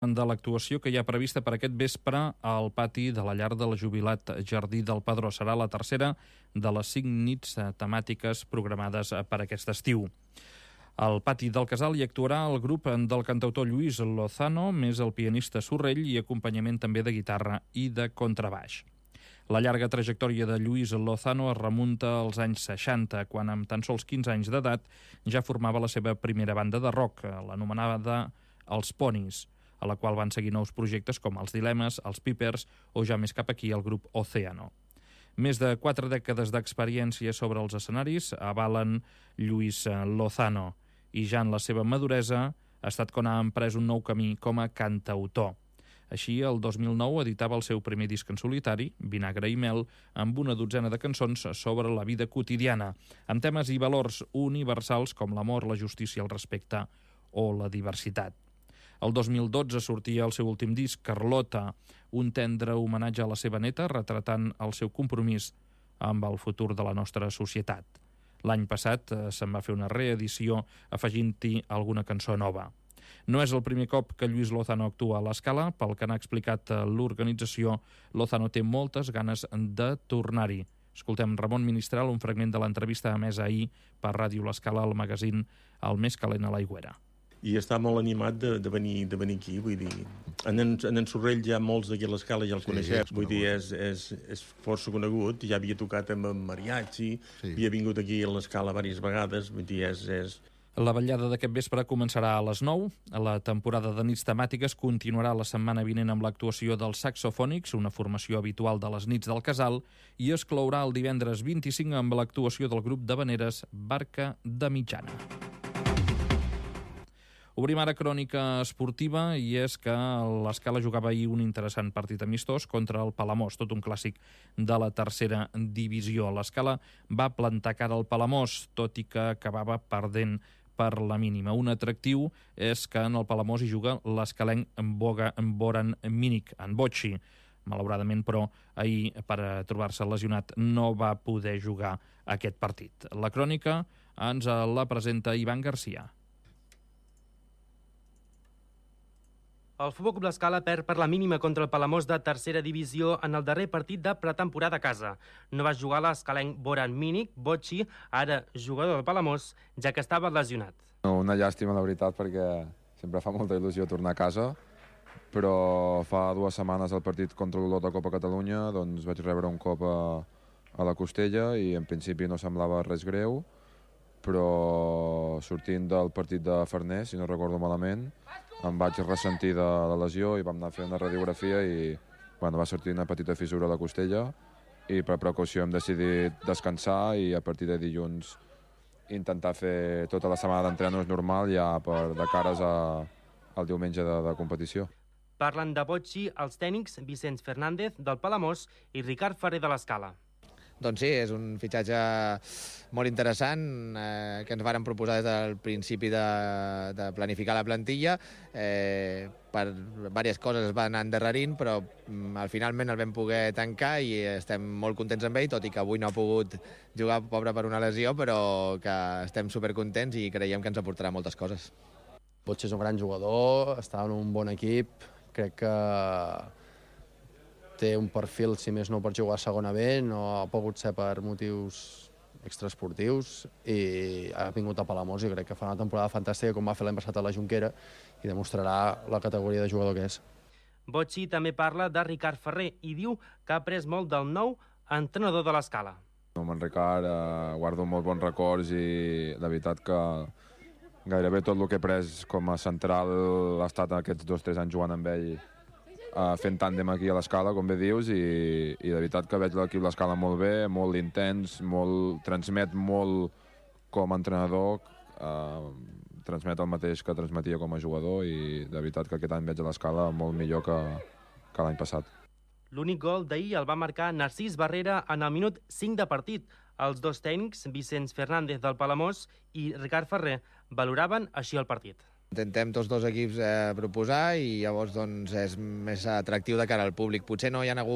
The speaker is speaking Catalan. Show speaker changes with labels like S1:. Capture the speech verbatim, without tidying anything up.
S1: de l'actuació que hi ha prevista per aquest vespre al pati de la llar de la Jubilat Jardí del Padró. Serà la tercera de les cinc nits temàtiques programades per aquest estiu. Al pati del Casal hi actuarà el grup del cantautor Lluís Lozano, més el pianista Sorrell i acompanyament també de guitarra i de contrabaix. La llarga trajectòria de Lluís Lozano es remunta als anys seixanta, quan amb tan sols quinze anys d'edat ja formava la seva primera banda de rock, l'anomenada Els Ponis, a la qual van seguir nous projectes com els Dilemes, els Pipers o ja més cap aquí el grup Océano. Més de quatre dècades d'experiència sobre els escenaris avalen Lluís Lozano i ja en la seva maduresa ha estat quan ha emprès un nou camí com a cantautor. Així, el dos mil nou editava el seu primer disc en solitari, Vinagre i Mel, amb una dotzena de cançons sobre la vida quotidiana, amb temes i valors universals com l'amor, la justícia, el respecte o la diversitat. El dos mil dotze sortia el seu últim disc, Carlota, un tendre homenatge a la seva neta, retratant el seu compromís amb el futur de la nostra societat. L'any passat eh, se'n va fer una reedició afegint-hi alguna cançó nova. No és el primer cop que Lluís Lozano actua a l'Escala. Pel que n'ha explicat l'organització, Lozano té moltes ganes de tornar-hi. Escoltem Ramon Ministral, un fragment de l'entrevista emesa ahir per Ràdio L'Escala al magazín El més calent a l'Aigüera.
S2: I està molt animat de, de, venir, de venir aquí, vull dir, en en, en, en Sorrell ja molts d'aquí a l'Escala ja el sí, coneixem, vull dir, és, és, és força conegut, ja havia tocat amb en mariachi, sí. Havia vingut aquí a l'Escala diverses vegades, vull dir, és... és...
S1: La vetllada d'aquest vespre començarà a les nou. La temporada de nits temàtiques continuarà la setmana vinent amb l'actuació dels Saxofònics, una formació habitual de les nits del Casal, i es clourà el divendres vint-i-cinc amb l'actuació del grup d'havaneres Barca de Mitjana. Obrim ara crònica esportiva i és que l'Escala jugava ahir un interessant partit amistós contra el Palamós, tot un clàssic de la tercera divisió. L'Escala va plantar cara al Palamós, tot i que acabava perdent per la mínima. Un atractiu és que en el Palamós hi juga l'escalenc Boran Mínic, en Bocci. Malauradament, però, ahir, per trobar-se lesionat, no va poder jugar aquest partit. La crònica ens la presenta Ivan Garcia.
S3: El Futbol Club L'Escala perd per la mínima contra el Palamós de tercera divisió en el darrer partit de pretemporada a casa. No va jugar l'escalenc Boran Mínic, Bocci, ara jugador del Palamós, ja que estava lesionat.
S4: Una llàstima, la veritat, perquè sempre fa molta il·lusió tornar a casa, però fa dues setmanes al partit contra l'Olot de Copa Catalunya doncs vaig rebre un cop a, a la costella i en principi no semblava res greu, però sortint del partit de Farners, si no recordo malament, em vaig ressentir de la lesió i vam anar a fer una radiografia i bueno, va sortir una petita fissura a la costella i per precaució hem decidit descansar i a partir de dilluns intentar fer tota la setmana d'entrenos normal ja per, de cares a, al diumenge de, de competició.
S3: Parlen de Bocci els tècnics Vicenç Fernández del Palamós i Ricard Ferrer de l'Escala.
S5: Doncs sí, és un fitxatge molt interessant eh, que ens varen proposar des del principi de, de planificar la plantilla. Eh, per diverses coses es van anar endarrerint, però mm, al finalment el vam poder tancar i estem molt contents amb ell, tot i que avui no ha pogut jugar, pobre, per una lesió, però que estem supercontents i creiem que ens aportarà moltes coses.
S6: Bocci és un gran jugador, està en un bon equip, crec que té un perfil, si més no, per jugar a segona B, no ha pogut ser per motius extraesportius i ha vingut a Palamós i crec que fa una temporada fantàstica com va fer l'any passat a la Jonquera i demostrarà la categoria de jugador que és.
S3: Bocci també parla de Ricard Ferrer i diu que ha après molt del nou entrenador de l'Escala.
S4: Amb en Ricard eh, guardo molt bons records i la veritat que gairebé tot el que he pres com a central ha estat aquests dos o tres anys jugant amb ell Uh, fent tàndem aquí a l'Escala, com bé dius, i, i de veritat que veig l'equip l'Escala molt bé, molt intens, molt, transmet molt com a entrenador, uh, transmet el mateix que transmetia com a jugador i de veritat que aquest any veig a l'Escala molt millor que, que l'any passat.
S3: L'únic gol d'ahir el va marcar Narcís Barrera en el minut cinc de partit. Els dos tècnics, Vicenç Fernández del Palamós i Ricard Ferrer, valoraven així el partit.
S5: Intentem tots dos equips eh, proposar i llavors doncs, és més atractiu de cara al públic. Potser no hi ha hagut